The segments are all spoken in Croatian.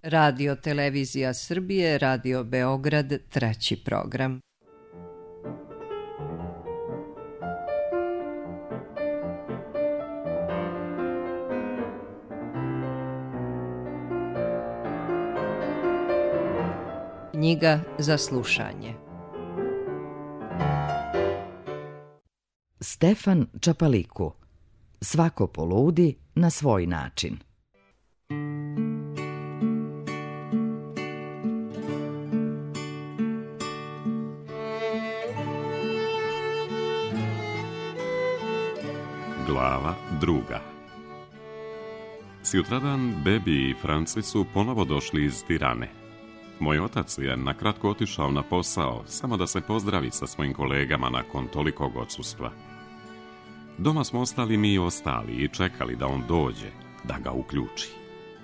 Radio Televizija Srbije, Radio Beograd, 3. program. Knjiga za slušanje. Stefan Čapaliku. Svako poludi na svoj način. Glava 2. Sutradan Bebi i Franci su ponovo došli iz Tirane. Moj otac je nakratko otišao na posao, samo da se pozdravi sa svojim kolegama nakon tolikog odsustva. Doma smo ostali mi ostali i čekali da on dođe, da ga uključi.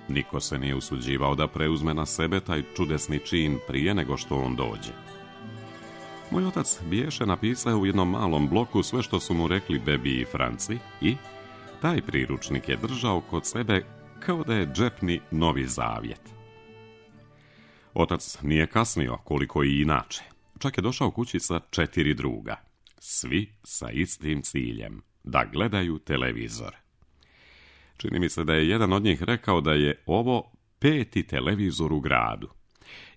Niko se nije usuđivao da preuzme na sebe taj čudesni čin prije nego što on dođe. Moj otac biješe napisao u jednom malom bloku sve što su mu rekli Bebi i Franci i taj priručnik je držao kod sebe kao da je džepni Novi Zavjet. Otac nije kasnio koliko i inače. Čak je došao kući sa 4 druga. Svi sa istim ciljem, da gledaju televizor. Čini mi se da je jedan od njih rekao da je ovo 5. televizor u gradu.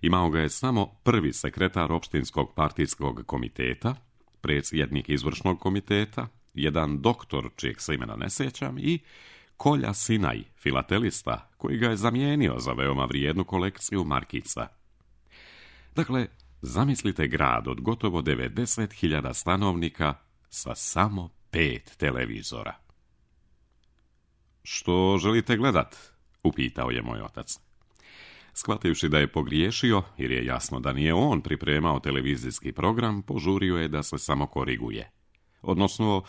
Imao ga je samo prvi sekretar opštinskog partijskog komiteta, predsjednik izvršnog komiteta, jedan doktor čijeg se imena ne sjećam i Kolja Sinaj, filatelista, koji ga je zamijenio za veoma vrijednu kolekciju markica. Dakle, zamislite grad od gotovo 90.000 stanovnika sa samo 5 televizora. Što želite gledat? Upitao je moj otac. Shvativši da je pogriješio, jer je jasno da nije on pripremao televizijski program, požurio je da se samo koriguje. Odnosno,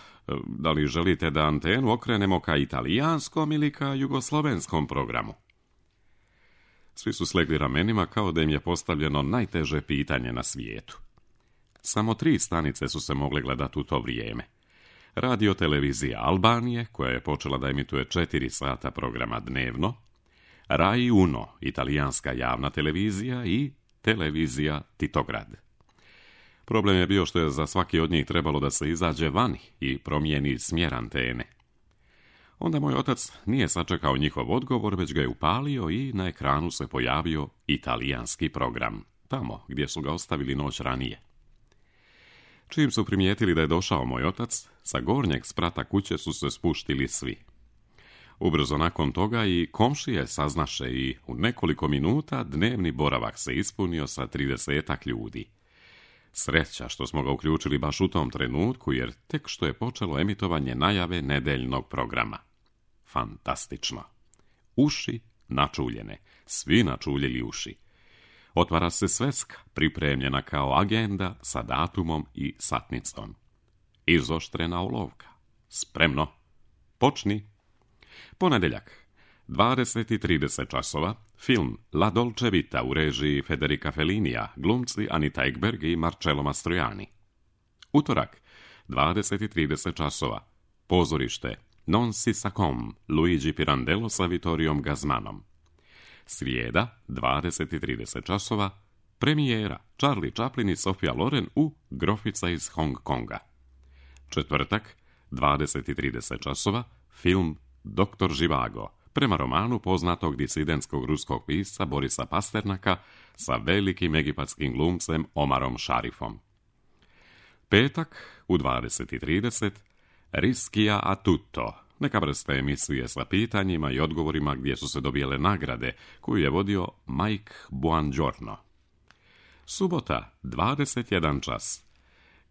da li želite da antenu okrenemo ka italijanskom ili ka jugoslovenskom programu? Svi su slegli ramenima kao da im je postavljeno najteže pitanje na svijetu. Samo 3 stanice su se mogle gledati u to vrijeme. Radio Televizija Albanije, koja je počela da emituje 4 sata programa dnevno, Rai Uno, italijanska javna televizija i televizija Titograd. Problem je bio što je za svaki od njih trebalo da se izađe vani i promijeni smjer antene. Onda moj otac nije sačekao njihov odgovor, već ga je upalio i na ekranu se pojavio italijanski program, tamo gdje su ga ostavili noć ranije. Čim su primijetili da je došao moj otac, sa gornjeg sprata kuće su se spuštili svi. Ubrzo nakon toga i komšije saznaše i u nekoliko minuta dnevni boravak se ispunio sa 30 ljudi. Sreća što smo ga uključili baš u tom trenutku, jer tek što je počelo emitovanje najave nedeljnog programa. Fantastično. Uši načuljene, svi načuljili uši. Otvara se sveska, pripremljena kao agenda sa datumom i satnicom. Izoštrena olovka. Spremno. Počni. Ponedjeljak, 20:30 časova, film La Dolce Vita u režiji Federica Fellinija, glumci Anita Ekberg i Marcello Mastroianni. Utorak, 20:30 časova, pozorište Non si sa com, Luigi Pirandello sa Vittoriom Gazmanom. Srijeda, 20:30 časova, premijera Charlie Chaplin i Sofia Loren u Grofica iz Hong Konga. Četvrtak, 20:30 časova, film Doktor Živago, prema romanu poznatog disidentskog ruskog pisca Borisa Pasternaka sa velikim egipatskim glumcem Omarom Šarifom. Petak, u 20:30, Rischia a tutto, neka vrsta emisije sa pitanjima i odgovorima gdje su se dobijele nagrade, koju je vodio Mike Buongiorno. Subota, 21 čas.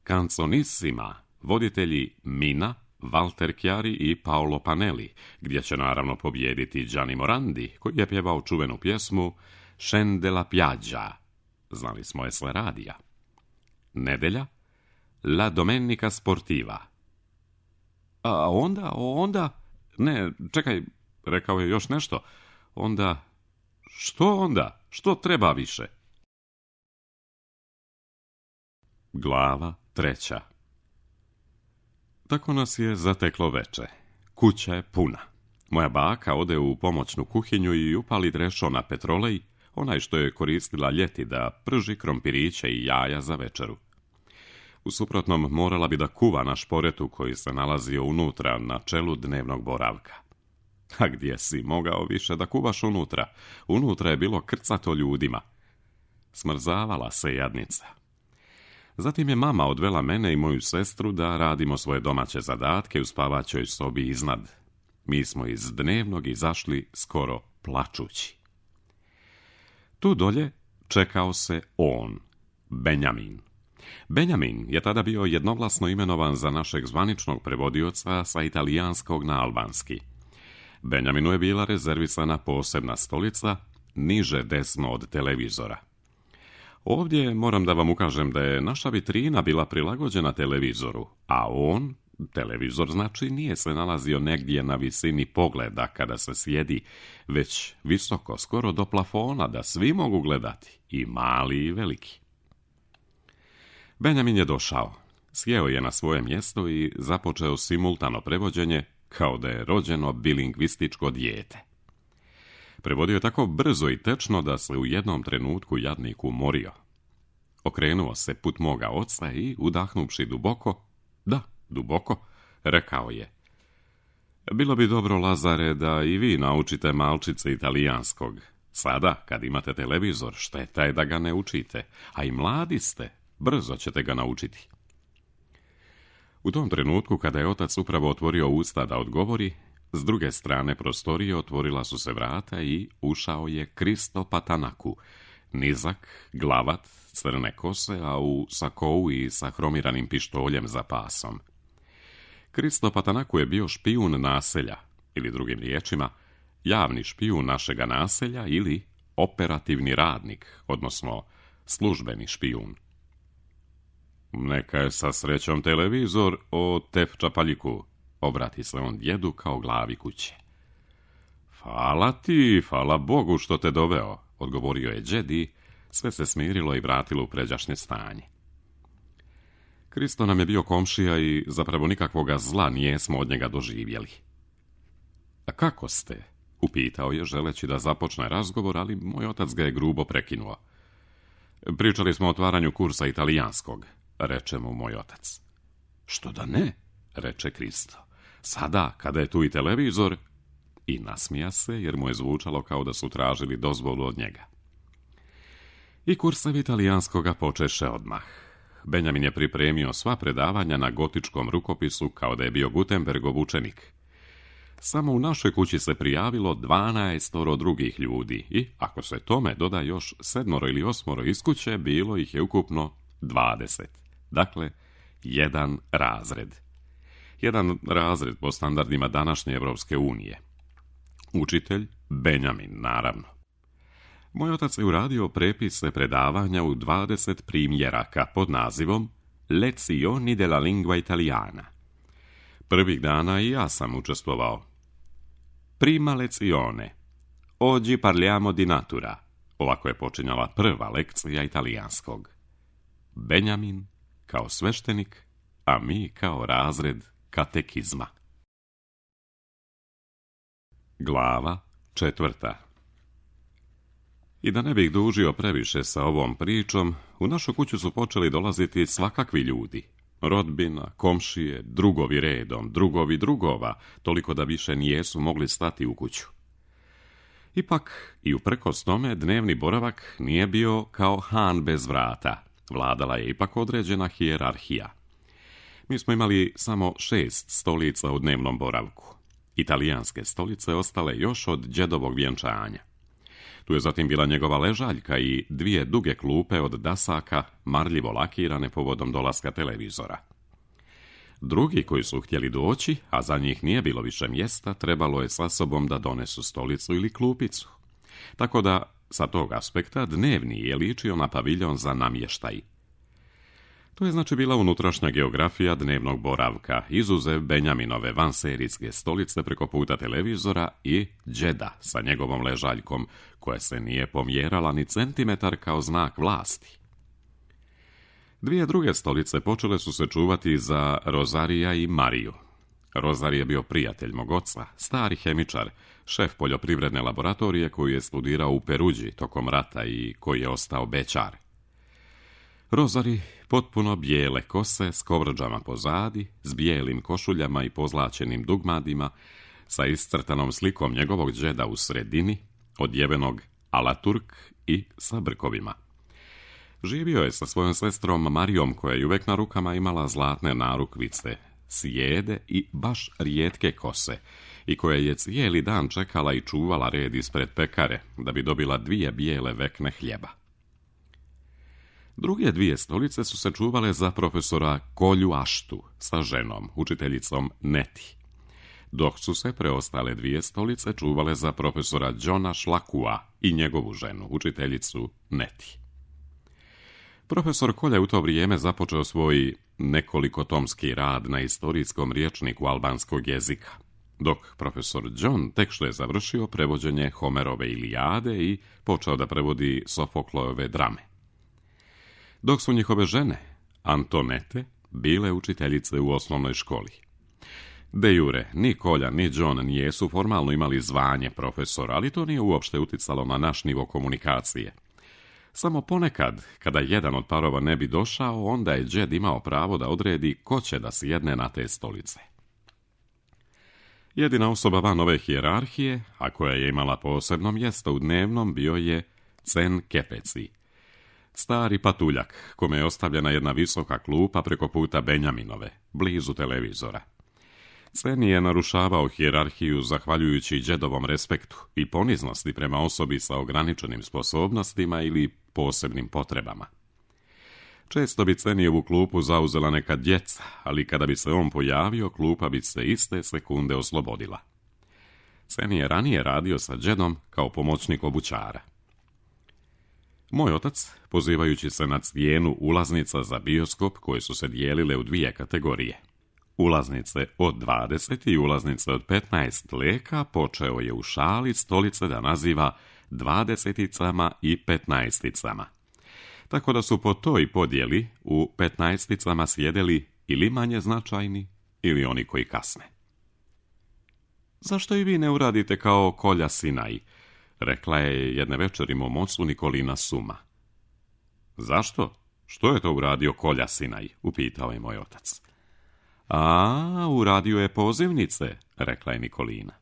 Canzonissima, voditelji Mina, Walter Chiari i Paolo Panelli, gdje će naravno pobijediti Gianni Morandi, koji je pjevao čuvenu pjesmu Scende la piaggia. Znali smo je s radija. Nedelja, La Domenica Sportiva. A onda... Ne, čekaj, rekao je još nešto. Onda... Što onda? Što treba više? Glava 3. Tako nas je zateklo veče. Kuća je puna. Moja baka ode u pomoćnu kuhinju i upali drešo na petrolej, onaj što je koristila ljeti da prži krompiriće i jaja za večeru. U suprotnom morala bi da kuva na šporetu koji se nalazio unutra na čelu dnevnog boravka. A gdje si mogao više da kuvaš unutra? Unutra je bilo krcato ljudima. Smrzavala se jadnica. Zatim je mama odvela mene i moju sestru da radimo svoje domaće zadatke u spavaćoj sobi iznad. Mi smo iz dnevnog izašli skoro plačući. Tu dolje čekao se on, Benjamin. Benjamin je tada bio jednoglasno imenovan za našeg zvaničnog prevodioca sa italijanskog na albanski. Benjaminu je bila rezervisana posebna stolica, niže desno od televizora. Ovdje moram da vam ukažem da je naša vitrina bila prilagođena televizoru, a on, televizor znači, nije se nalazio negdje na visini pogleda kada se sjedi, već visoko, skoro do plafona, da svi mogu gledati, i mali i veliki. Benjamin je došao, sjeo je na svoje mjesto i započeo simultano prevođenje kao da je rođeno bilingvističko dijete. Prevodio je tako brzo i tečno da se u jednom trenutku jadnik umorio. Okrenuo se put moga oca i, udahnuvši duboko, da, duboko, rekao je: bilo bi dobro, Lazare, da i vi naučite malčice italijanskog. Sada, kad imate televizor, šteta je da ga ne učite, a i mladi ste, brzo ćete ga naučiti. U tom trenutku, kada je otac upravo otvorio usta da odgovori, s druge strane prostorije otvorila su se vrata i ušao je Kristo Patanaku, nizak, glavat, crne kose, a u sakou i sa hromiranim pištoljem za pasom. Kristo Patanaku je bio špijun naselja, ili drugim riječima, javni špijun našega naselja ili operativni radnik, odnosno službeni špijun. Neka je sa srećom televizor o tepča paljiku, obrati se on djedu kao glavi kuće. Hvala ti, hvala Bogu što te doveo, odgovorio je džed i sve se smirilo i vratilo u pređašnje stanje. Kristo nam je bio komšija i zapravo nikakvoga zla nijesmo od njega doživjeli. A kako ste? Upitao je, želeći da započne razgovor, ali moj otac ga je grubo prekinuo. Pričali smo o otvaranju kursa italijanskog, reče mu moj otac. Što da ne, reče Kristo. Sada, kada je tu i televizor, i nasmija se jer mu je zvučalo kao da su tražili dozvolu od njega. I kursevi italijanskoga počeše odmah. Benjamin je pripremio sva predavanja na gotičkom rukopisu kao da je bio Gutenbergov učenik. Samo u našoj kući se prijavilo 12 drugih ljudi i, ako se tome doda još 7 ili 8 iz kuće, bilo ih je ukupno 20. Dakle, jedan razred. Jedan razred po standardima današnje Evropske unije. Učitelj Benjamin, naravno. Moj otac je uradio prepise predavanja u 20 primjeraka pod nazivom Lezioni della lingua italiana. Prvih dana i ja sam učestvovao. Prima lezione. Oggi parliamo di natura. Ovako je počinjala prva lekcija italijanskog. Benjamin kao sveštenik, a mi kao razred katekizma. Glava 4. I da ne bih dužio previše sa ovom pričom, u našu kuću su počeli dolaziti svakakvi ljudi. Rodbina, komšije, drugovi redom, drugovi drugova, toliko da više nijesu mogli stati u kuću. Ipak, i uprkos tome, dnevni boravak nije bio kao han bez vrata. Vladala je ipak određena hijerarhija. Mi smo imali samo 6 stolica u dnevnom boravku. Italijanske stolice ostale još od džedovog vjenčanja. Tu je zatim bila njegova ležaljka i 2 duge klupe od dasaka, marljivo lakirane povodom dolaska televizora. Drugi koji su htjeli doći, a za njih nije bilo više mjesta, trebalo je sa sobom da donesu stolicu ili klupicu. Tako da, sa tog aspekta, dnevni je ličio na paviljon za namještaj. To je znači bila unutrašnja geografija dnevnog boravka, izuzev Benjaminove vanserijske stolice preko puta televizora i džeda sa njegovom ležaljkom, koja se nije pomjerala ni centimetar kao znak vlasti. 2 druge stolice počele su se čuvati za Rozarija i Mariju. Rozari je bio prijatelj mog oca, stari hemičar, šef poljoprivredne laboratorije koji je studirao u Peruđi tokom rata i koji je ostao bećar. Rozari, potpuno bijele kose s kovrđama pozadi, s bijelim košuljama i pozlačenim dugmadima, sa iscrtanom slikom njegovog džeda u sredini, odjevenog alaturk i sa brkovima. Živio je sa svojom sestrom Marijom, koja je uvek na rukama imala zlatne narukvice, sjede i baš rijetke kose, i koja je cijeli dan čekala i čuvala red ispred pekare, da bi dobila 2 bijele vekne hljeba. Druge 2 stolice su se čuvale za profesora Kolju Aštu sa ženom, učiteljicom Neti, dok su se preostale 2 stolice čuvale za profesora Johna Šlakua i njegovu ženu, učiteljicu Neti. Profesor Kolja je u to vrijeme započeo svoj nekolikotomski rad na istorijskom rječniku albanskog jezika, dok profesor John tek što je završio prevođenje Homerove Ilijade i počeo da prevodi Sofoklojeve drame. Dok su njihove žene, Antonete, bile učiteljice u osnovnoj školi. De jure, ni Kolja ni John nijesu formalno imali zvanje profesora, ali to nije uopšte uticalo na naš nivo komunikacije. Samo ponekad, kada jedan od parova ne bi došao, onda je džed imao pravo da odredi ko će da sjedne na te stolice. Jedina osoba van ove hijerarhije, a koja je imala posebno mjesto u dnevnom, bio je Cen Kepeci, stari patuljak, kome je ostavljena jedna visoka klupa preko puta Benjaminove, blizu televizora. Cen je narušavao hijerarhiju zahvaljujući džedovom respektu i poniznosti prema osobi sa ograničenim sposobnostima ili posebnim potrebama. Često bi Cenijevu klupu zauzela neka djeca, ali kada bi se on pojavio, klupa bi se iste sekunde oslobodila. Cen je ranije radio sa džedom kao pomoćnik obućara. Moj otac, pozivajući se na cijenu ulaznica za bioskop koje su se dijelile u 2 kategorije, ulaznice od 20 i ulaznice od 15 leka, počeo je u šali stolice da naziva 20-icama i 15-icama. Tako da su po toj podjeli u 15-icama sjedeli ili manje značajni ili oni koji kasne. Zašto i vi ne uradite kao Kolja Sinaj? Rekla je jedne večeri mom ocu Nikolina Suma. Zašto? Što je to uradio Kolja Sinaj? Upitao je moj otac. A, uradio je pozivnice, rekla je Nikolina.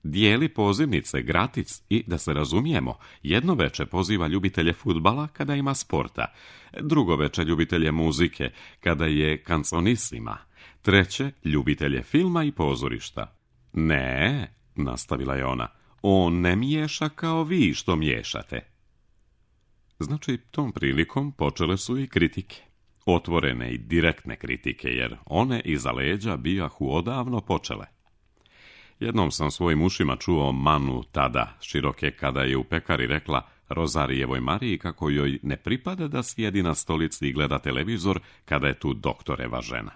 Dijeli pozivnice gratis i, da se razumijemo, jedno veče poziva ljubitelje fudbala kada ima sporta, drugo veče ljubitelje muzike kada je kanconissima, treće ljubitelje filma i pozorišta. Ne, nastavila je ona, on ne miješa kao vi što miješate. Znači, tom prilikom počele su i kritike. Otvorene i direktne kritike, jer one iza leđa bijahu odavno počele. Jednom sam svojim ušima čuo Manu tada, široke, kada je u pekari rekla Rozarijevoj Mariji kako joj ne pripada da sjedi na stolici i gleda televizor kada je tu doktoreva žena.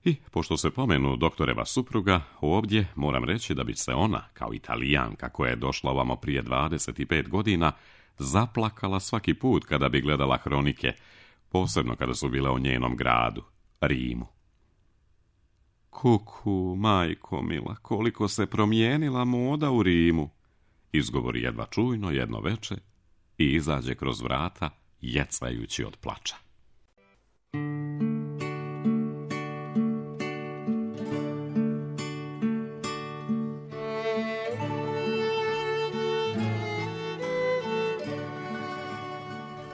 I, pošto se pomenu doktoreva supruga, ovdje moram reći da bi se ona, kao Italijanka koja je došla ovamo prije 25 godina, zaplakala svaki put kada bi gledala hronike, posebno kada su bile o njenom gradu, Rimu. Kuku, majko mila, koliko se promijenila moda u Rimu, izgovori jedva čujno jedno veče i izađe kroz vrata, jecajući od plača.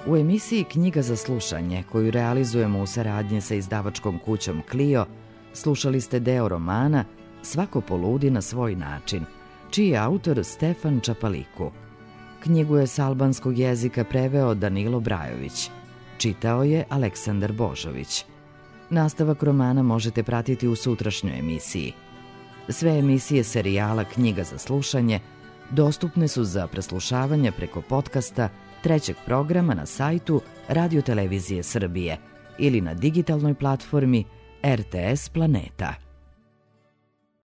U emisiji Knjiga za slušanje, koju realizujemo u saradnji sa izdavačkom kućom Clio, slušali ste deo romana Svako poludi na svoj način, čiji je autor Stefan Čapaliku. Knjigu je s albanskog jezika preveo Danilo Brajović. Čitao je Aleksandar Božović. Nastavak romana možete pratiti u sutrašnjoj emisiji. Sve emisije serijala Knjiga za slušanje dostupne su za preslušavanje preko podcasta trećeg programa na sajtu Radio Televizije Srbije ili na digitalnoj platformi RTS Planeta.